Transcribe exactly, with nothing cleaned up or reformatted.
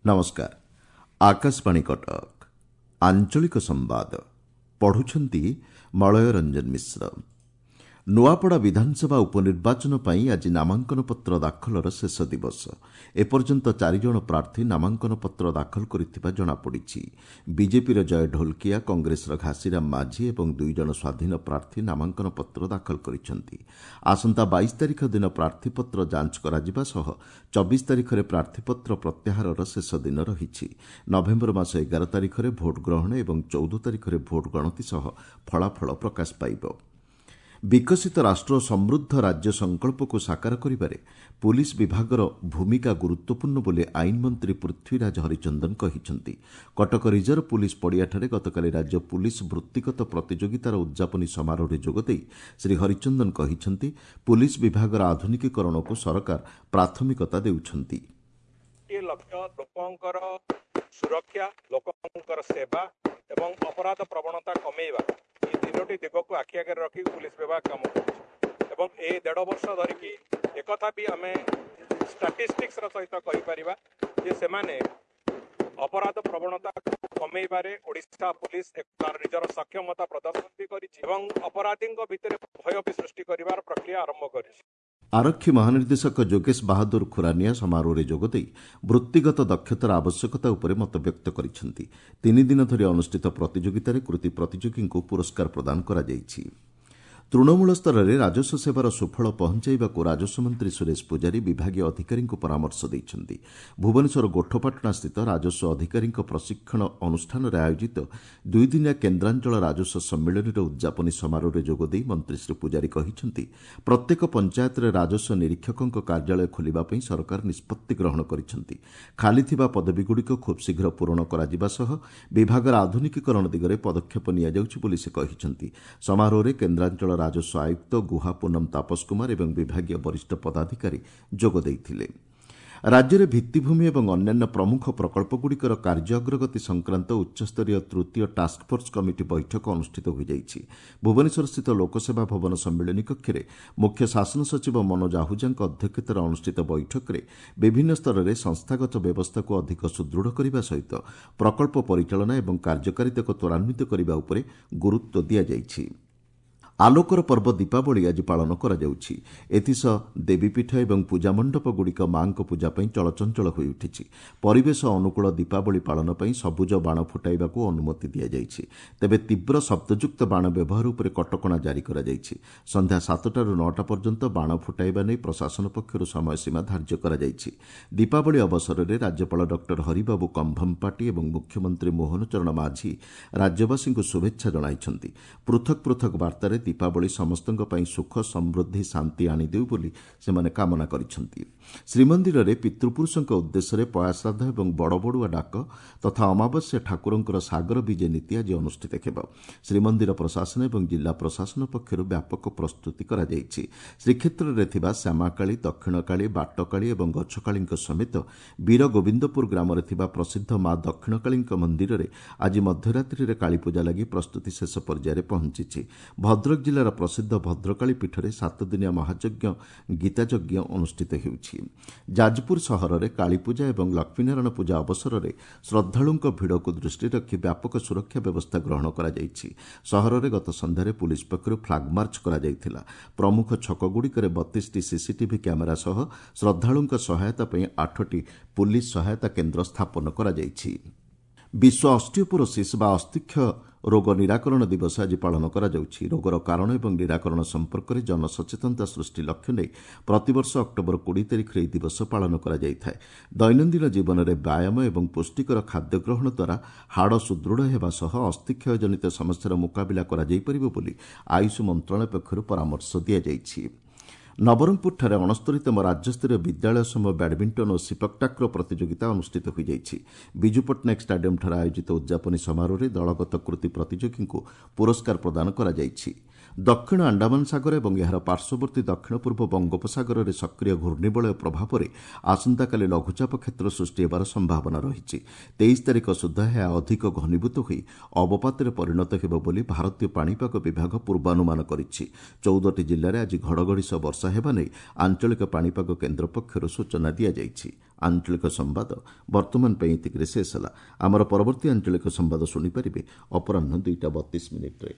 ନମସ୍କାର ଆକାଶବାଣୀ କଟକ ଆଞ୍ଚଳିକ ସମ୍ବାଦ ପଢୁଛନ୍ତି ମଳୟ ରଞ୍ଜନ ମିଶ୍ର ନୂଆପଡ଼ା ବିଧାନସଭା ଉପନିର୍ବାଚନ ପାଇଁ ଆଜି ନାମାଙ୍କନପତ୍ର ଦାଖଲର ଶେଷ ଦିବସ ଏପର୍ଯ୍ୟନ୍ତ ଚାରିଜଣ ପ୍ରାର୍ଥୀ ନାମାଙ୍କନପତ୍ର ଦାଖଲ କରିଥିବା ଜଣାପଡ଼ିଛି ବିଜେପିର ଜୟ ଢୋଲକିଆ କଂଗ୍ରେସର ଘାସିରାମ ମାଝୀ ଏବଂ ଦୁଇଜଣ ସ୍ୱାଧୀନ ପ୍ରାର୍ଥୀ ନାମାଙ୍କନପତ୍ର ଦାଖଲ କରିଛନ୍ତି ଆସନ୍ତା ବାଇଶ ତାରିଖ ଦିନ ପ୍ରାର୍ଥୀପତ୍ର ଯାଞ୍ଚ କରାଯିବା ସହ ଚବିଶ ତାରିଖରେ ପ୍ରାର୍ଥୀପତ୍ର ପ୍ରତ୍ୟାହାରର ଶେଷ ଦିନ ରହିଛି ନଭେମ୍ବର ମାସ ଏଗାର ତାରିଖରେ ଭୋଟ ଗ୍ରହଣ ଏବଂ ଚଉଦ ତାରିଖରେ ଭୋଟ ଗଣତି ସହ ଫଳାଫଳ ପ୍ରକାଶ ପାଇବ ବିକଶିତ ରାଷ୍ଟ୍ର ଓ ସମୃଦ୍ଧ ରାଜ୍ୟ ସଂକଳ୍ପକୁ ସାକାର କରିବାରେ ପୁଲିସ୍ ବିଭାଗର ଭୂମିକା ଗୁରୁତ୍ୱପୂର୍ଣ୍ଣ ବୋଲି ଆଇନ ମନ୍ତ୍ରୀ ପୃଥ୍ୱୀରାଜ ହରିଚନ୍ଦନ କହିଛନ୍ତି କଟକ ରିଜର୍ଭ ପୁଲିସ୍ ପଡ଼ିଆଠାରେ ଗତକାଲି ରାଜ୍ୟ ପୁଲିସ୍ ବୃତ୍ତିଗତ ପ୍ରତିଯୋଗିତାର ଉଦ୍ଯାପନୀ ସମାରୋହରେ ଯୋଗଦେଇ ଶ୍ରୀ ହରିଚନ୍ଦନ କହିଛନ୍ତି ପୁଲିସ୍ ବିଭାଗର ଆଧୁନିକୀକରଣକୁ ସରକାର ପ୍ରାଥମିକତା ଦେଉଛନ୍ତି ଲକ୍ଷ୍ୟ ଲୋକଙ୍କର ସୁରକ୍ଷା ଲୋକଙ୍କର ସେବା ଏବଂ ଅପରାଧ ପ୍ରବଣତା କମେଇବା ଏ ତିନୋଟି ଦିଗକୁ ଆଖି ଆଗରେ ରଖି ପୁଲିସ ବିଭାଗ କାମ କରୁଛି ଏବଂ ଏ ଦେଢ଼ ବର୍ଷ ଧରିକି ଏକଥା ବି ଆମେ ଷ୍ଟାଟିଷ୍ଟିକ୍ସର ସହିତ କହିପାରିବା ଯେ ସେମାନେ ଅପରାଧ ପ୍ରବଣତାକୁ କମେଇବାରେ ଓଡ଼ିଶା ପୁଲିସ ତାର ନିଜର ସକ୍ଷମତା ପ୍ରଦର୍ଶନ ବି କରିଛି ଏବଂ ଅପରାଧୀଙ୍କ ଭିତରେ ଭୟ ବି ସୃଷ୍ଟି କରିବାର ପ୍ରକ୍ରିୟା ଆରମ୍ଭ କରିଛି ଆରକ୍ଷୀ ମହାନିର୍ଦ୍ଦେଶକ ଯୋଗେଶ ବାହାଦୁର ଖୁରାନିଆ ସମାରୋହରେ ଯୋଗଦେଇ ବୃତ୍ତିଗତ ଦକ୍ଷତାର ଆବଶ୍ୟକତା ଉପରେ ମତବ୍ୟକ୍ତ କରିଛନ୍ତି ତିନିଦିନ ଧରି ଅନୁଷ୍ଠିତ ପ୍ରତିଯୋଗିତାରେ କୃତି ପ୍ରତିଯୋଗୀଙ୍କୁ ପୁରସ୍କାର ପ୍ରଦାନ କରାଯାଇଛି ତୃଣମୂଳ ସ୍ତରରେ ରାଜସ୍ୱ ସେବାର ସୁଫଳ ପହଞ୍ଚାଇବାକୁ ରାଜସ୍ୱ ମନ୍ତ୍ରୀ ସୁରେଶ ପୂଜାରୀ ବିଭାଗୀୟ ଅଧିକାରୀଙ୍କୁ ପରାମର୍ଶ ଦେଇଛନ୍ତି ଭୁବନେଶ୍ୱର ଗୋଠପାଟଣାସ୍ଥିତ ରାଜସ୍ୱ ଅଧିକାରୀଙ୍କ ପ୍ରଶିକ୍ଷଣ ଅନୁଷ୍ଠାନରେ ଆୟୋଜିତ ଦୁଇଦିନିଆ କେନ୍ଦ୍ରାଞ୍ଚଳ ରାଜସ୍ୱ ସମ୍ମିଳନୀର ଉଦ୍ଯାପନୀ ସମାରୋହରେ ଯୋଗଦେଇ ମନ୍ତ୍ରୀ ଶ୍ରୀ ପୂଜାରୀ କହିଛନ୍ତି ପ୍ରତ୍ୟେକ ପଞ୍ଚାୟତରେ ରାଜସ୍ୱ ନିରୀକ୍ଷକଙ୍କ କାର୍ଯ୍ୟାଳୟ ଖୋଲିବା ପାଇଁ ସରକାର ନିଷ୍ପତ୍ତି ଗ୍ରହଣ କରିଛନ୍ତି ଖାଲିଥିବା ପଦବୀଗୁଡ଼ିକ ଖୁବ୍ ଶୀଘ୍ର ପୂରଣ କରାଯିବା ସହ ବିଭାଗର ଆଧୁନିକୀକରଣ ଦିଗରେ ପଦକ୍ଷେପ ନିଆଯାଉଛି ବୋଲି ସେ କହିଛନ୍ତି ସମାରୋହରେ କେନ୍ଦ୍ରାଞ୍ଚଳ ରାଜସ୍ୱ ଆୟୁକ୍ତ ଗୁହା ପୁନମ ତାପସ କୁମାର ଏବଂ ବିଭାଗୀୟ ବରିଷ୍ଠ ପଦାଧିକାରୀ ଯୋଗ ଦେଇଥିଲେ ରାଜ୍ୟରେ ଭିତ୍ତିଭୂମି ଏବଂ ଅନ୍ୟାନ୍ୟ ପ୍ରମୁଖ ପ୍ରକଳ୍ପଗୁଡ଼ିକର କାର୍ଯ୍ୟ ଅଗ୍ରଗତି ସଂକ୍ରାନ୍ତ ଉଚ୍ଚସ୍ତରୀୟ ତୃତୀୟ ଟାସ୍କଫୋର୍ସ କମିଟି ବୈଠକ ଅନୁଷ୍ଠିତ ହୋଇଯାଇଛି ଭୁବନେଶ୍ୱରସ୍ଥିତ ଲୋକସେବା ଭବନ ସମ୍ମିଳନୀ କକ୍ଷରେ ମୁଖ୍ୟ ଶାସନ ସଚିବ ମନୋଜ ଆହୁଜାଙ୍କ ଅଧ୍ୟକ୍ଷତାରେ ଅନୁଷ୍ଠିତ ବୈଠକରେ ବିଭିନ୍ନ ସ୍ତରରେ ସଂସ୍ଥାଗତ ବ୍ୟବସ୍ଥାକୁ ଅଧିକ ସୁଦୃଢ଼ କରିବା ସହିତ ପ୍ରକଳ୍ପ ପରିଚାଳନା ଏବଂ କାର୍ଯ୍ୟକାରିତାକୁ ତ୍ୱରାନ୍ୱିତ କରିବା ଉପରେ ଗୁରୁତ୍ୱ ଦିଆଯାଇଛି ଆଲୋକର ପର୍ବ ଦୀପାବଳି ଆଜି ପାଳନ କରାଯାଉଛି ଏଥିସହ ଦେବୀପୀଠ ଏବଂ ପୂଜାମଣ୍ଡପଗୁଡ଼ିକ ମା'ଙ୍କ ପୂଜା ପାଇଁ ଚଳଚଞ୍ଚଳ ହୋଇଉଠିଛି ପରିବେଶ ଅନୁକୂଳ ଦୀପାବଳି ପାଳନ ପାଇଁ ସବୁଜ ବାଣ ଫୁଟାଇବାକୁ ଅନୁମତି ଦିଆଯାଇଛି ତେବେ ତୀବ୍ର ଶବ୍ଦଯୁକ୍ତ ବାଣ ବ୍ୟବହାର ଉପରେ କଟକଣା ଜାରି କରାଯାଇଛି ସନ୍ଧ୍ୟା ସାତଟାରୁ ନଅଟା ପର୍ଯ୍ୟନ୍ତ ବାଣ ଫୁଟାଇବା ନେଇ ପ୍ରଶାସନ ପକ୍ଷରୁ ସମୟସୀମା ଧାର୍ଯ୍ୟ କରାଯାଇଛି ଦୀପାବଳି ଅବସରରେ ରାଜ୍ୟପାଳ ଡକ୍ଟର ହରିବାବୁ କମ୍ଭମପାଟି ଏବଂ ମୁଖ୍ୟମନ୍ତ୍ରୀ ମୋହନ ଚରଣ ମାଝୀ ରାଜ୍ୟବାସୀଙ୍କୁ ଶୁଭେଚ୍ଛା ଜଣାଇଛନ୍ତି ପୃଥକ୍ ପୃଥକ୍ ବାର୍ତ୍ତାରେ ଦୀପାବଳି ସମସ୍ତଙ୍କ ପାଇଁ ସୁଖ ସମୃଦ୍ଧି ଶାନ୍ତି ଆଣିଦେଉ ବୋଲି ସେମାନେ କାମନା କରିଛନ୍ତି ଶ୍ରୀମନ୍ଦିରରେ ପିତୃପୁରୁଷଙ୍କ ଉଦ୍ଦେଶ୍ୟରେ ପୟାଶ୍ରାଦ୍ଧ ଏବଂ ବଡ଼ବଡ଼ୁଆ ଡାକ ତଥା ଅମାବାସ୍ୟା ଠାକୁରଙ୍କର ସାଗର ବିଜେ ନୀତି ଆଜି ଅନୁଷ୍ଠିତ ହେବ ଶ୍ରୀମନ୍ଦିର ପ୍ରଶାସନ ଏବଂ ଜିଲ୍ଲା ପ୍ରଶାସନ ପକ୍ଷରୁ ବ୍ୟାପକ ପ୍ରସ୍ତୁତି କରାଯାଇଛି ଶ୍ରୀକ୍ଷେତ୍ରରେ ଥିବା ଶ୍ୟାମାକାଳୀ ଦକ୍ଷିଣକାଳୀ ବାଟକାଳୀ ଏବଂ ଗଛକାଳୀଙ୍କ ସମେତ ବୀର ଗୋବିନ୍ଦପୁର ଗ୍ରାମରେ ଥିବା ପ୍ରସିଦ୍ଧ ମା ଦକ୍ଷିଣକାଳୀଙ୍କ ମନ୍ଦିରରେ ଆଜି ମଧ୍ୟରାତ୍ରିରେ କାଳୀପୂଜା ଲାଗି ପ୍ରସ୍ତୁତି ଶେଷ ପର୍ଯ୍ୟାୟରେ ପହଞ୍ଚିଛି ଭଦ୍ରକ ଜିଲ୍ଲାର ପ୍ରସିଦ୍ଧ ଭଦ୍ରକାଳୀ ପୀଠରେ ସାତଦିନିଆ ମହାଯଜ୍ଞ ଗୀତାଯଜ୍ଞ ଅନୁଷ୍ଠିତ ହେଉଛି ଯାଜପୁର ସହରରେ କାଳୀପୂଜା ଏବଂ ଲକ୍ଷ୍ମୀନାରାୟଣ ପୂଜା ଅବସରରେ ଶ୍ରଦ୍ଧାଳୁଙ୍କ ଭିଡ଼କୁ ଦୃଷ୍ଟିରେ ରଖି ବ୍ୟାପକ ସୁରକ୍ଷା ବ୍ୟବସ୍ଥା ଗ୍ରହଣ କରାଯାଇଛି ସହରରେ ଗତ ସନ୍ଧ୍ୟାରେ ପୁଲିସ୍ ପକ୍ଷରୁ ଫ୍ଲାଗମାର୍ଚ୍ଚ କରାଯାଇଥିଲା ପ୍ରମୁଖ ଛକଗୁଡ଼ିକରେ ବତିଶଟି ସିସିଟିଭି କ୍ୟାମେରା ସହ ଶ୍ରଦ୍ଧାଳୁଙ୍କ ସହାୟତା ପାଇଁ ଆଠଟି ପୁଲିସ୍ ସହାୟତା କେନ୍ଦ୍ର ସ୍ଥାପନ କରାଯାଇଛି ବିଶ୍ୱ ଅଷ୍ଟିଓପୋରୋସିସ୍ ବା ଅସ୍ଥିକ୍ଷୟ ରୋଗ ନିରାକରଣ ଦିବସ ଆଜି ପାଳନ କରାଯାଉଛି ରୋଗର କାରଣ ଏବଂ ନିରାକରଣ ସମ୍ପର୍କରେ ଜନସଚେତନତା ସୃଷ୍ଟି ଲକ୍ଷ୍ୟ ନେଇ ପ୍ରତିବର୍ଷ ଅକ୍ଟୋବର କୋଡ଼ିଏ ତାରିଖରେ ଏହି ଦିବସ ପାଳନ କରାଯାଇଥାଏ ଦୈନନ୍ଦିନ ଜୀବନରେ ବ୍ୟାୟାମ ଏବଂ ପୁଷ୍ଟିକର ଖାଦ୍ୟ ଗ୍ରହଣ ଦ୍ୱାରା ହାଡ଼ ସୁଦୃଢ଼ ହେବା ସହ ଅସ୍ଥିକ୍ଷୟ ଜନିତ ସମସ୍ୟାର ମୁକାବିଲା କରାଯାଇପାରିବ ବୋଲି ଆୟୁଷ ମନ୍ତ୍ରଣାଳୟ ପକ୍ଷରୁ ପରାମର୍ଶ ଦିଆଯାଇଛି ନବରଙ୍ଗପୁରଠାରେ ଅଣସ୍ତରୀତମ ରାଜ୍ୟସ୍ତରୀୟ ବିଦ୍ୟାଳୟ ସମୂହ ବ୍ୟାଡମିଣ୍ଟନ ଓ ସିପକଟାକ୍ରୋ ପ୍ରତିଯୋଗିତା ଅନୁଷ୍ଠିତ ହୋଇଯାଇଛି ବିଜୁ ପଟ୍ଟନାୟକ ଷ୍ଟାଡିୟମ୍ଠାରେ ଆୟୋଜିତ ଉଦ୍ଯାପନୀ ସମାରୋହରେ ଦଳଗତ କୃତି ପ୍ରତିଯୋଗୀଙ୍କୁ ପୁରସ୍କାର ପ୍ରଦାନ କରାଯାଇଛି ଦକ୍ଷିଣ ଆଣ୍ଡାମାନ ସାଗର ଏବଂ ଏହାର ପାର୍ଶ୍ୱବର୍ତ୍ତୀ ଦକ୍ଷିଣ ପୂର୍ବ ବଙ୍ଗୋପସାଗରରେ ସକ୍ରିୟ ଘୂର୍ଣ୍ଣିବଳୟ ପ୍ରଭାବରେ ଆସନ୍ତାକାଲି ଲଘୁଚାପ କ୍ଷେତ୍ର ସୃଷ୍ଟି ହେବାର ସମ୍ଭାବନା ରହିଛି ତେଇଶ ତାରିଖ ସୁଦ୍ଧା ଏହା ଅଧିକ ଘନୀଭୂତ ହୋଇ ଅବପାତରେ ପରିଣତ ହେବ ବୋଲି ଭାରତୀୟ ପାଣିପାଗ ବିଭାଗ ପୂର୍ବାନୁମାନ କରିଛି ଚଉଦଟି ଜିଲ୍ଲାରେ ଆଜି ଘଡ଼ଘଡ଼ି ସହ ବର୍ଷା ହେବା ନେଇ ଆଞ୍ଚଳିକ ପାଣିପାଗ କେନ୍ଦ୍ର ପକ୍ଷରୁ ସୂଚନା ଦିଆଯାଇଛି ଆଞ୍ଚଳିକ ସମ୍ବାଦ ବର୍ତ୍ତମାନ ପାଇଁ ଏତିକିରେ ଶେଷ ହେଲା। ଆମର ପରବର୍ତ୍ତୀ ଆଞ୍ଚଳିକ ସମ୍ବାଦ ଶୁଣିପାରିବେ ଅପରାହ୍ନ ଦୁଇଟା ବତିଶ ମିନିଟ୍ରେ।